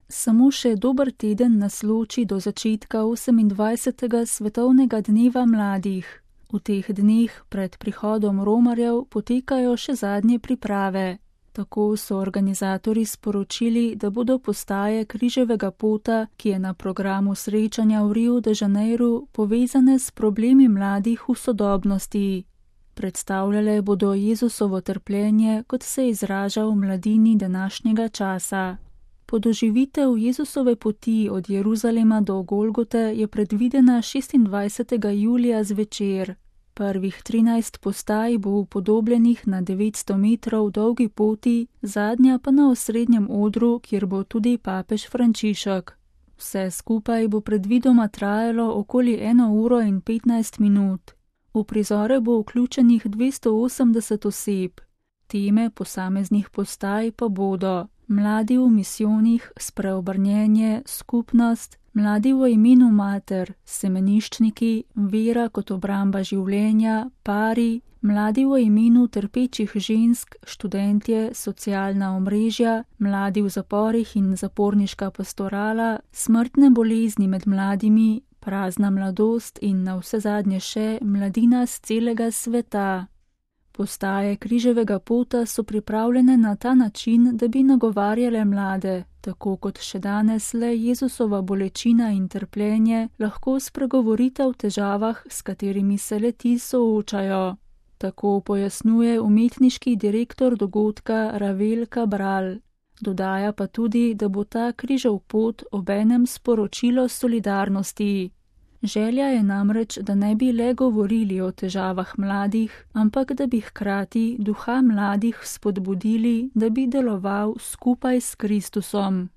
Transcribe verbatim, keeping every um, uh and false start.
Samo še dober teden nas loči do začetka osemindvajsetega svetovnega dneva mladih. V teh dneh pred prihodom romarjev potekajo še zadnje priprave. Tako so organizatorji sporočili, da bodo postaje križevega pota, ki je na programu srečanja v Riu de Janeiru, povezane s problemi mladih v sodobnosti. Predstavljale bodo Jezusovo trpljenje, kot se izraža v mladini današnjega časa. Podoživitev Jezusove poti od Jeruzalema do Golgote je predvidena šestindvajsetega julija zvečer. Prvih trinajst postaj bo upodobljenih na devetsto metrov dolgi poti, zadnja pa na osrednjem odru, kjer bo tudi papež Frančišek. Vse skupaj bo predvidoma trajalo okoli eno uro in petnajst minut. V prizore bo vključenih dvesto osemdeset oseb. Teme posameznih postaj pa bodo mladi v misijonih, spreobrnjenje, skupnost, mladi v imenu mater, semeniščniki, vera kot obramba življenja, pari, mladi v imenu trpečih žensk, študentje, socialna omrežja, mladi v zaporih in zaporniška pastorala, smrtne bolezni med mladimi, prazna mladost in navsezadnje še mladina z celega sveta. Postaje križevega pota so pripravljene na ta način, da bi nagovarjale mlade, tako kot še danes le Jezusova bolečina in trpljenje lahko spregovorita o težavah, s katerimi se le-ti soočajo. Tako pojasnjuje umetniški direktor dogodka Ravel Cabral. Dodaja pa tudi, da bo ta križev pot obenem sporočilo solidarnosti. Želja je namreč, da ne bi le govorili o težavah mladih, ampak da bi hkrati duha mladih spodbudili, da bi deloval skupaj s Kristusom.